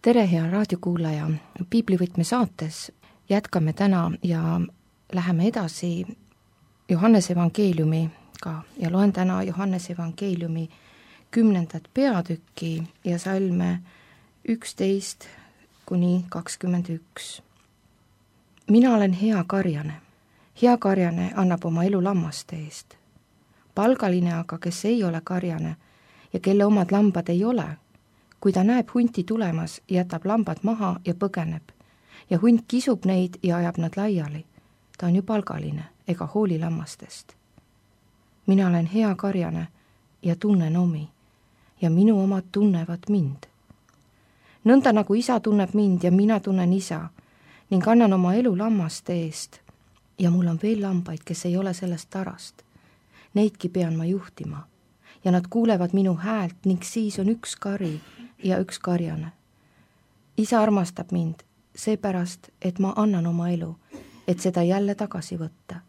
tere, hea raadiokuulaja! Piiblivõtme saates jätkame täna ja läheme edasi Johannese evangeeliumiga ja loen täna Johannese evangeeliumi 10. peatükki ja salme 11 kuni 21. Mina olen hea karjane. Hea karjane annab oma elu lammaste eest. Palgaline aga, kes ei ole karjane ja kelle omad lambad ei ole, kui ta näeb hunti tulemas, jätab lambad maha ja põgeneb. Ja hunt kisub neid ja ajab nad laiali. Ta on ju palgaline ega hooli lammastest. Mina olen hea karjane ja tunnen omi ja minu omad tunnevad mind. Nõnda nagu isa tunneb mind ja mina tunnen isa ning annan oma elu lammaste eest. Ja mul on veel lambaid, kes ei ole sellest tarast. Neidki pean ma juhtima ja nad kuulevad minu häält ning siis on üks kari ja üks karjane. Isa armastab mind seepärast, et ma annan oma elu, et seda jälle tagasi võtta.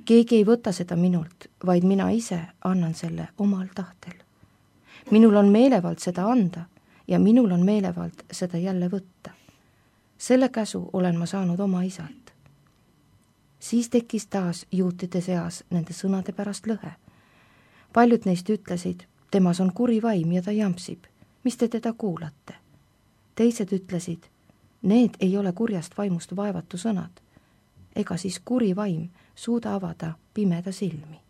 Keegi ei võta seda minult, vaid mina ise annan selle omal tahtel. Minul on meelevald seda anda ja minul on meelevald seda jälle võtta. Selle käsu olen ma saanud oma isalt. Siis tekkis taas juutide seas nende sõnade pärast lõhe. Paljud neist ütlesid, temas on kuri vaim ja ta jampsib. Mis te teda kuulate? Teised ütlesid, need ei ole kurjast vaimust vaevatu sõnad. Ega siis kuri vaim suuda avada pimeda silmi.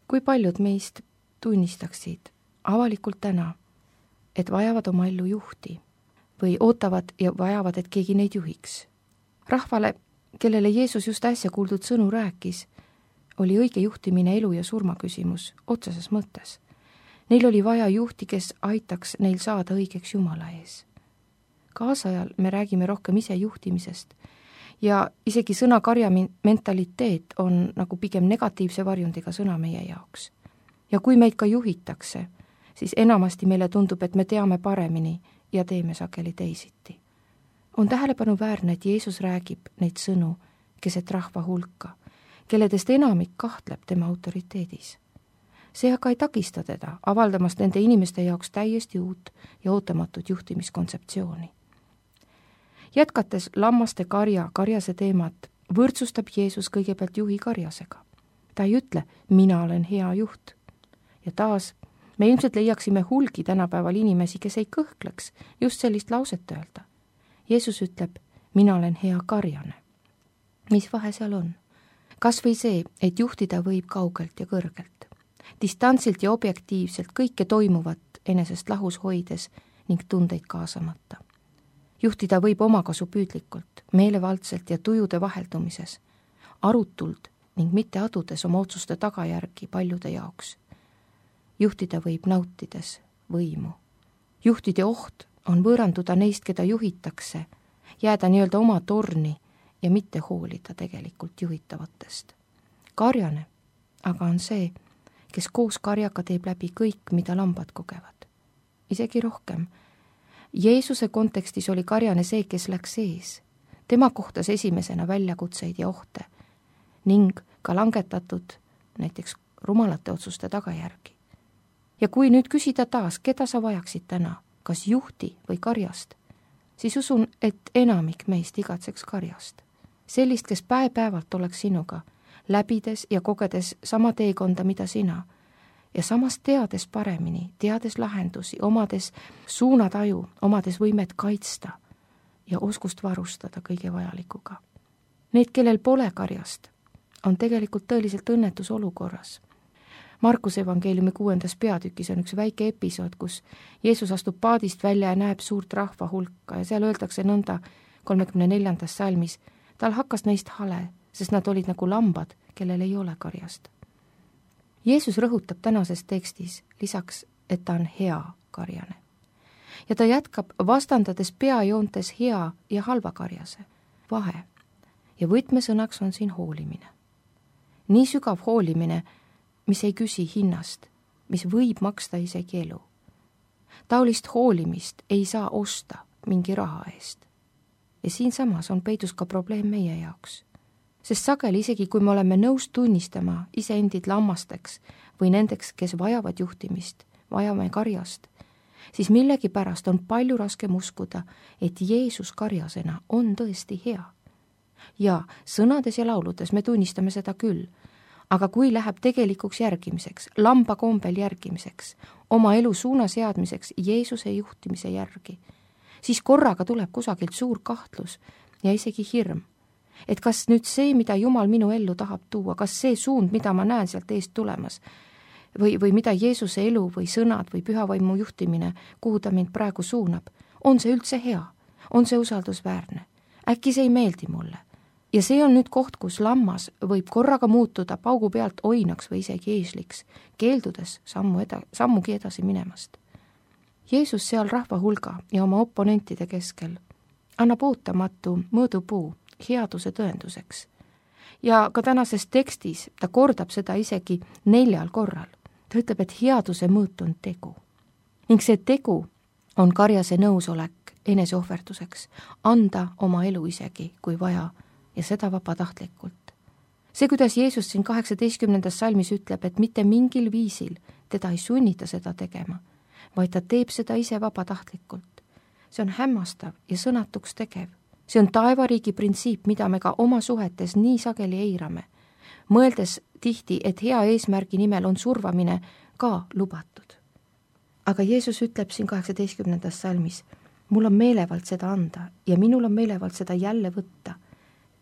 Kui paljud meist tunnistaksid avalikult täna, et vajavad oma ellu juhti või ootavad ja vajavad, et keegi neid juhiks? Rahvale, kellele Jeesus just äsja kuuldud sõnu rääkis, oli õige juhtimine elu ja surma küsimus otseses mõttes. Neil oli vaja juhti, kes aitaks neil saada õigeks Jumala ees. Kaasajal me räägime rohkem ise juhtimisest ja isegi sõna karja mentaliteet on nagu pigem negatiivse varjundiga sõna meie jaoks. Ja kui meid ka juhitakse, siis enamasti meile tundub, et me teame paremini ja teeme sageli teisiti. On tähelepanuväärne, et Jeesus räägib neid sõnu keset rahva hulka, kelledest enamik kahtleb tema autoriteedis. See aga ei takista teda avaldamast nende inimeste jaoks täiesti uut ja ootamatut juhtimiskontseptsiooni. Jätkates lammaste karjase teemat, võrdsustab Jeesus kõigepealt juhi karjasega. Ta ei ütle, mina olen hea juht. Ja taas, me ilmselt leiaksime hulgi tänapäeval inimesi, kes ei kõhkleks just sellist lauset öelda. Jeesus ütleb, mina olen hea karjane. Mis vahe seal on? Kas või see, et juhtida võib kaugelt ja kõrgelt, distantsilt ja objektiivselt kõike toimuvat enesest lahus hoides ning tundeid kaasamata. Juhtida võib omakasu püüdlikult, meelevaldselt ja tujude vaheldumises, arutult ning mitte adudes oma otsuste tagajärgi paljude jaoks. Juhtida võib nautides võimu. Juhtide oht on võõranduda neist, keda juhitakse, jääda nii-öelda oma torni ja mitte hoolida tegelikult juhitavatest. Karjane aga on see, kes koos karjaga teeb läbi kõik, mida lambad kogevad. Isegi rohkem. Jeesuse kontekstis oli karjane see, kes läks ees. Tema kohtas esimesena väljakutseid ja ohte ning ka langetatud näiteks rumalate otsuste tagajärgi. Ja kui nüüd küsida taas, keda sa vajaksid täna, kas juhti või karjast, siis usun, et enamik meist igatseks karjast. Sellist, kes päev-päevalt oleks sinuga, läbides ja kogedes sama teekonda, mida sina, ja samas teades paremini, teades lahendusi, omades suunataju, omades võimet kaitsta ja oskust varustada kõige vajalikuga. Need, kellel pole karjast, on tegelikult tõeliselt õnnetus olukorras. Markuse evangeeliumi 6. peatükis on üks väike episood, kus Jeesus astub paadist välja ja näeb suurt rahva hulka ja seal öeldakse nõnda 34. salmis, tal hakkas neist hale, sest nad olid nagu lambad, kellel ei ole karjast. Jeesus rõhutab tänases tekstis lisaks, et ta on hea karjane. Ja ta jätkab vastandades peajoontes hea ja halva karjase vahe. Ja võtmesõnaks on siin hoolimine. Nii sügav hoolimine, mis ei küsi hinnast, mis võib maksta isegi elu. Taolist hoolimist ei saa osta mingi raha eest. Ja siinsamas on peidus ka probleem meie jaoks. Sest sageli isegi, kui me oleme nõus tunnistama iseendid lammasteks või nendeks, kes vajavad juhtimist, vajame karjast, siis millegipärast on palju raskem uskuda, et Jeesus karjasena on tõesti hea. Ja sõnades ja lauludes me tunnistame seda küll, aga kui läheb tegelikuks järgimiseks, lamba kombel järgimiseks, oma elu suuna seadmiseks Jeesuse juhtimise järgi, siis korraga tuleb kusagilt suur kahtlus ja isegi hirm. Et kas nüüd see, mida Jumal minu ellu tahab tuua, kas see suund, mida ma näen sealt eest tulemas, või mida Jeesuse elu või sõnad või pühavaimu juhtimine, kuhu ta mind praegu suunab, on see üldse hea, on see usaldusväärne, äkki see ei meeldi mulle. Ja see on nüüd koht, kus lammas võib korraga muutuda paugu pealt oinaks või isegi eesliks, keeldudes sammugi edasi minemast. Jeesus seal rahva hulga ja oma oponentide keskel annab ootamatu mõõdupuu headuse tõenduseks. Ja ka tänases tekstis ta kordab seda isegi 4 korral. Ta ütleb, et headuse mõõt on tegu. Ning see tegu on karjase nõusolek eneseohverduseks, anda oma elu isegi, kui vaja, ja seda vabatahtlikult. See, kuidas Jeesus siin 18. salmis ütleb, et mitte mingil viisil teda ei sunnita seda tegema, vaid ta teeb seda ise vabatahtlikult. See on hämmastav ja sõnatuks tegev. See on taevariigi printsiip, mida me ka oma suhetes nii sageli eirame, mõeldes tihti, et hea eesmärgi nimel on survamine ka lubatud. Aga Jeesus ütleb siin 18. salmis, mul on meelevald seda anda ja minul on meelevald seda jälle võtta.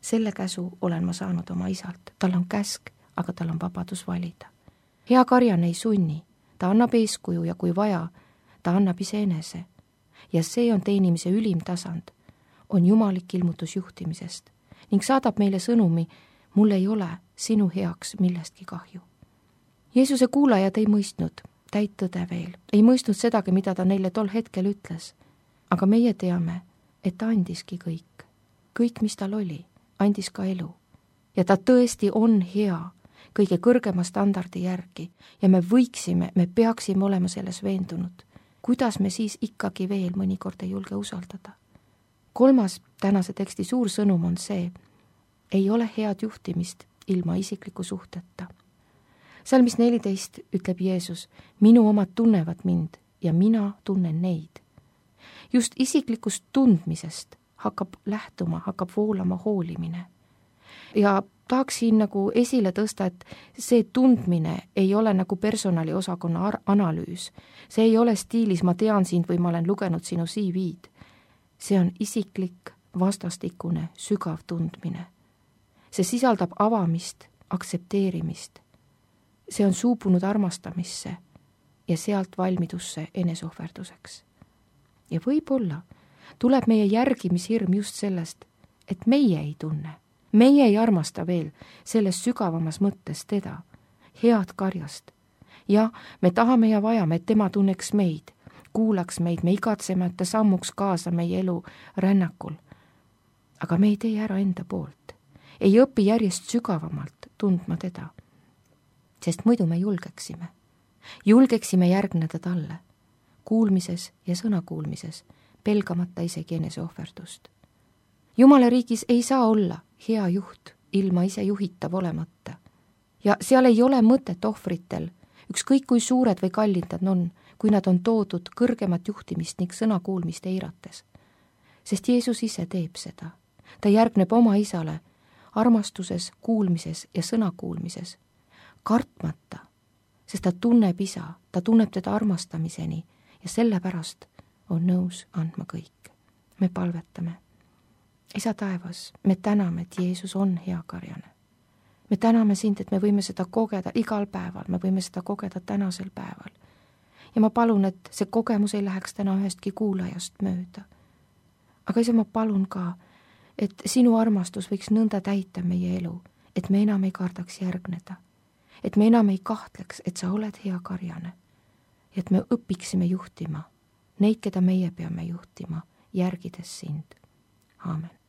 Selle käsu olen ma saanud oma isalt. Tal on käsk, aga tal on vabadus valida. Hea karjane ei sunni, ta annab eeskuju ja kui vaja, ta annab iseenese. Ja see on teenimise ülim tasand, on jumalik ilmutus juhtimisest ning saadab meile sõnumi, mul ei ole sinu heaks millestki kahju. Jeesuse kuulajad ei mõistnud täit tõde veel, ei mõistnud sedagi, mida ta neile tol hetkel ütles, aga meie teame, et ta andiski kõik, mis tal oli, andis ka elu. Ja ta tõesti on hea kõige kõrgema standardi järgi ja me peaksime olema selles veendunud. Kuidas me siis ikkagi veel mõnikord ei julge usaldada? 3. tänase teksti suur sõnum on see, ei ole head juhtimist ilma isikliku suhteta. Salmis 14 ütleb Jeesus, minu omad tunnevad mind ja mina tunnen neid. Just isiklikust tundmisest hakkab voolama hoolimine. Ja tahaks siin nagu esile tõsta, et see tundmine ei ole nagu personaliosakonna analüüs. See ei ole stiilis, ma tean sind või ma olen lugenud sinu CV-d. See on isiklik, vastastikune, sügav tundmine. See sisaldab avamist, aktsepteerimist. See on suubunud armastamisse ja sealt valmidusse eneseohverduseks. Ja võib-olla tuleb meie järgimishirm just sellest, et meie ei tunne, meie ei armasta veel selles sügavamas mõttes teda, head karjast. Ja me tahame ja vajame, et tema tunneks meid, kuulaks meid, me igatseme, et ta sammuks kaasa meie elu rännakul. Aga me ei tee ära enda poolt, ei õpi järjest sügavamalt tundma teda, sest muidu me julgeksime järgneda talle, kuulmises ja sõnakuulmises, pelgamata isegi eneseohverdust. Jumala riigis ei saa olla hea juht ilma ise juhitav olemata. Ja seal ei ole mõtet ohvritel, ükskõik kui suured või kallid nad on, kui nad on toodud kõrgemat juhtimist ning sõnakuulmist eirates. Sest Jeesus ise teeb seda. Ta järgneb oma isale armastuses, kuulmises ja sõnakuulmises, kartmata, sest ta tunneb isa, ta tunneb teda armastamiseni ja sellepärast on nõus andma kõik. Me palvetame. Isa taevas, me täname, et Jeesus on hea karjane. Me täname sind, et me võime seda kogeda igal päeval, me võime seda kogeda tänasel päeval. Ja ma palun, et see kogemus ei läheks täna ühestki kuulajast mööda. Aga isa, ma palun ka, et sinu armastus võiks nõnda täita meie elu, et me enam ei kardaks järgneda, et me enam ei kahtleks, et sa oled hea karjane, et me õpiksime juhtima neid, keda meie peame juhtima, järgides sind. Aamen.